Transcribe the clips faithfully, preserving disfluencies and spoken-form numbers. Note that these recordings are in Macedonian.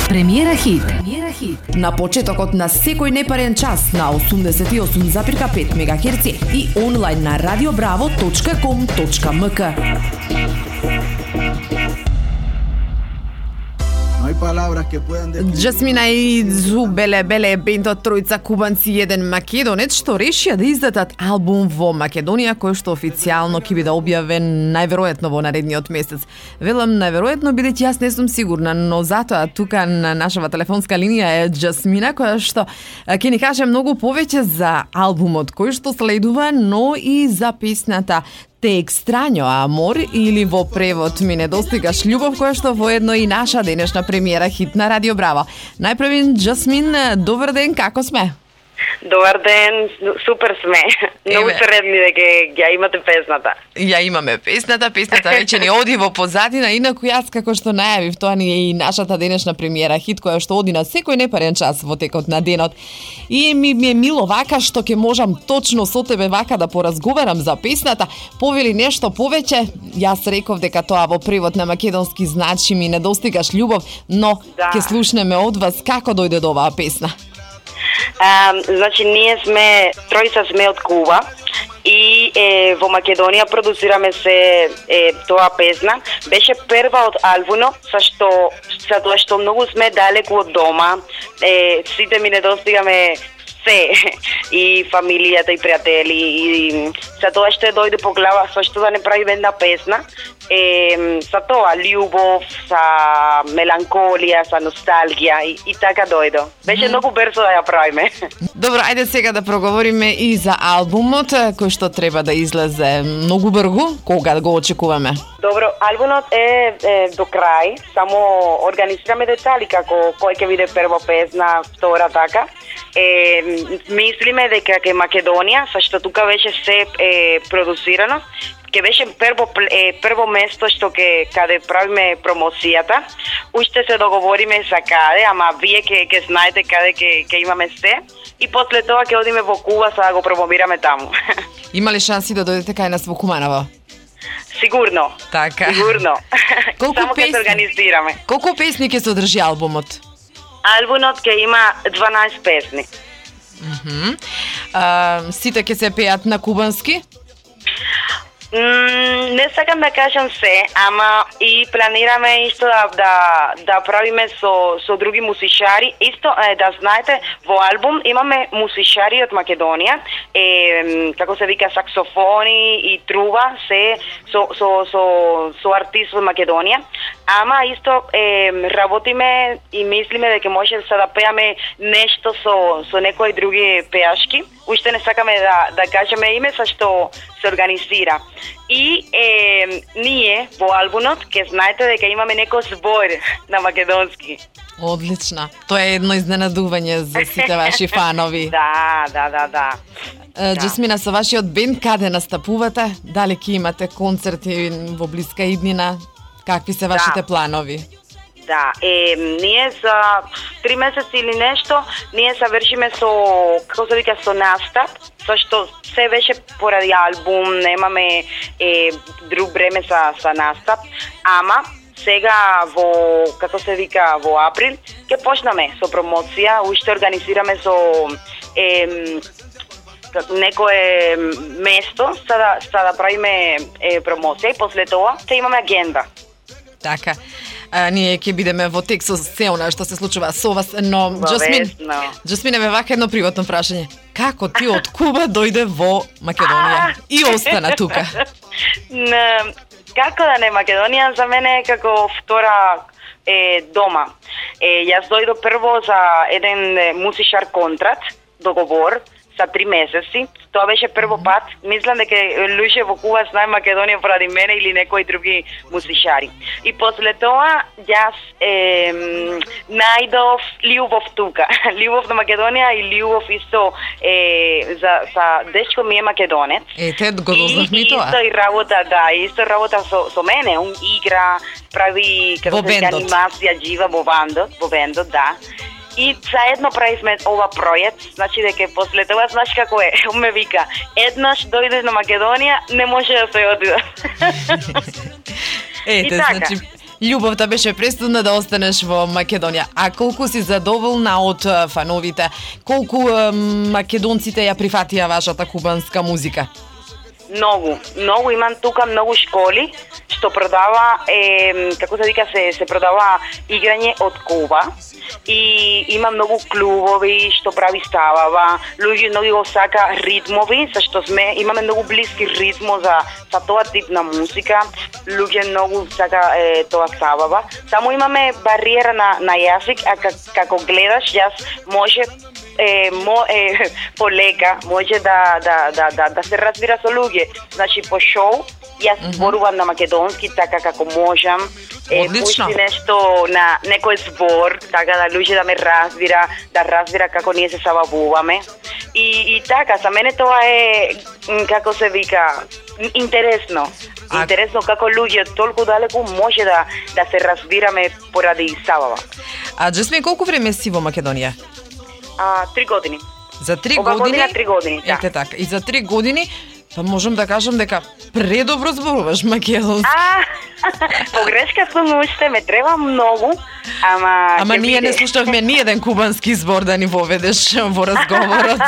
Премиера хит. Премиера хит. На почетокот на секој непарен час на осумдесет и осум запирка пет мегахерци и онлайн на радио браво точка ком точка ем ка. Джасмина и Зубеле Беле бендот тројца кубанци и еден македонец што решија да издадат албум во Македонија кој што официјално ќе биде објавен најверојатно во наредниот месец. Велам најверојатно бидејќи јас не сум сигурна, но затоа тука на нашава телефонска линија е Джасмина која што ќе ни каже многу повеќе за албумот кој што следува, но и за песната Те екстрањо амор или во превод Ми недостигаш љубов, која што воедно и наша денешна премиера хит на Радио Браво. Најпрвин, Джасмин, добар ден, како сме? Добар ден, супер сме. Многу средни дека ја имате песната. Ја имаме песната, песната веќе ни оди во позадина, инаку јас како што најавив, тоа ни е и нашата денешна премиера хит која што оди на секој непарен час во текот на денот. И ми, ми е мило вака што ќе можам точно со тебе вака да поразговарам за песната. Повели нешто повеќе, јас реков дека тоа во превод на македонски значи Ми недостигаш љубов, но да. Ќе слушнеме од вас како дојде до оваа песна. А, значи, ние сме, тројца сме од Куба и е, во Македонија продуцираме се е, тоа песна. Беше прва од албумот, са што, са тоа што многу сме далеку од дома, е, сите ми недостигаме се, и фамилијата и пријатели, и са тоа што дојде по глава, со што да не прави една песна, е, са тоа, љубов, са меланколија, са носталгија и, и така дојдо. Беше mm. многу брзо да ја правиме. Добро, ајде сега да проговориме и за албумот, кој што треба да излезе многу брзо, кога го очекуваме? Добро, албумот е, е до крај, само организираме детали како кој ќе биде прва песна, втора така. Е, мислиме дека ке Македонија, са што тука беше се е, продуцирано, ќе беше прво е, прво место што ќе каде правиме промоцијата. Уште се договориме за каде, ама вие ќе ќе знаете каде ќе ќе имаме се и после тоа ќе одиме во Куба за да го промовираме таму. Има ли шанси да дојдете кај нас во Куманово? Сигурно. Така. Сигурно. Колку Само ќе се организираме. Колку песни ќе содржи албумот? Албумот ќе има дванаесет песни. Мхм. А, сите ќе се пеат на кубански? Mm, не сакам да кажам се, ама и планираме исто да да, да правиме со со други музичари. Исто е, да знаете, во албум имаме музичари од Македонија, е како се вика саксофони и труба, се со со со со артист од Македонија. Ама исто е, работиме и мислиме дека може да да пеаме нешто со со некои други пеашки. Уште не сакаме да да кажеме име, за што се организира. И е, ние во албумот ќе знаете дека имаме некој збор на македонски. Одлично. Тоа е едно изненадување за сите ваши фанови. Да, да, да, да. Джасмина, со вашиот бенд каде настапувате? Дали ќе имате концерти во блиска иднина? Какви се вашите да. планови? Да, е, ние за три месеци или нешто, ние завршиме со, како се вика, со настап, зашто се беше поради албум, немаме е, друг време за, за настап, ама сега во, како се вика, во април, ќе почнаме со промоција, уште организираме со е, некое место, за да, за да правиме е, промоција и после тоа ќе имаме агенда. Така. А, ние ќе бидеме во тек со се она што се случува со вас, но Джасмин, Джасмин, еве вака едно приватно прашање. Како ти од Куба дојде во Македонија и остана тука? Не, како да не, Македонија за мене е како втора е, дома. Е, јас дојдо прво за еден музичар контракт, договор, за три месеци. Тоа беше прво пат. Мислам дека луѓе во Куба знае Македонија поради мене или некои други музичари. И после тоа јас е, најдов љубов тука. Љубов на Македонија и љубов исто е, за, за дечко ми е македонец. Ете, го дознавме и, тоа. И исто и работа, да, исто работа со, со мене. Он игра, прави како се анимација жива во бандот, во бендот, да. И заедно правивме ова проект, значи дека после тоа, знаеш како е, он ме вика, еднаш дојдеш на Македонија, не може да се одиде. Ете, така. значи, Љубовта беше пресудна да останеш во Македонија. А колку си задоволна од а, фановите? Колку а, македонците ја прифатија вашата кубанска музика? Многу, многу имам тука многу школи што продава е, како се вика се се продава играње од Куба и има многу клубови што прави ставава, луѓе многу го сака ритмови, зашто сме имаме многу блиски ритмо за за тоа тип на музика. Луѓе многу сака е, тоа ставава. Само имаме бариера на на јазик, а как, како гледаш, јас може е, мо, е, полека може да, да, да, да, да се разбира со луѓе. Значи по шоу јас mm-hmm. зборувам на македонски така како можам. Е, пушти нешто на некој збор, така да луѓе да ме разбира, да разбира како ние се сабавуваме. И, и така, за мене тоа е, како се вика, интересно. А... Интересно како луѓе толку далеку може да да се разбираме поради сабава. А Џесмин, колку време си во Македонија? А, три години. За три Ова години? година три години, да. Ете така. И за три години, па можам да кажам дека предобро зборуваш македонски. А, погрешка сум уште, ме треба многу, ама... Ама ние биде. не слушавме ни еден кубански збор да ни воведеш во разговорот.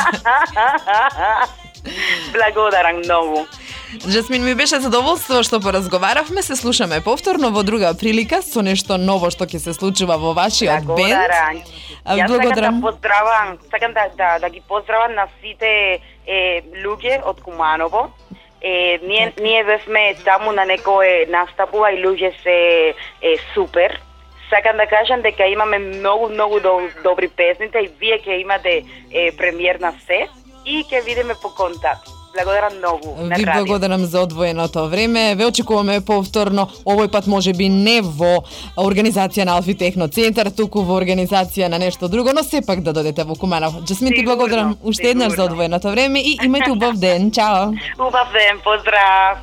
Благодарам многу. Џесмин, ми беше задоволство што поразговаравме, се слушаме повторно во друга прилика со нешто ново што ќе се случува во вашиот бенд. Благодарам. Јас Благодарам. сакам да поздравам, сакам да, да, да ги поздравам на сите е, луѓе од Куманово. Е, ние, ние бевме таму на некој настапува и луѓе се е, супер. Сакам да кажам дека имаме многу, многу добри песните и вие ќе имате е, премиер на се и ќе видиме по контакт. Благодарам многу на Ви радио. благодарам за одвоеното време. Ве очекуваме повторно, овој пат може би не во организација на Алфи Техно Центар, туку во организација на нешто друго, но сепак да додете во Куманово. Џесмин, ти благодарам уште еднаш за одвоеното време и имајте убав ден. Чао! Убав ден, поздрав!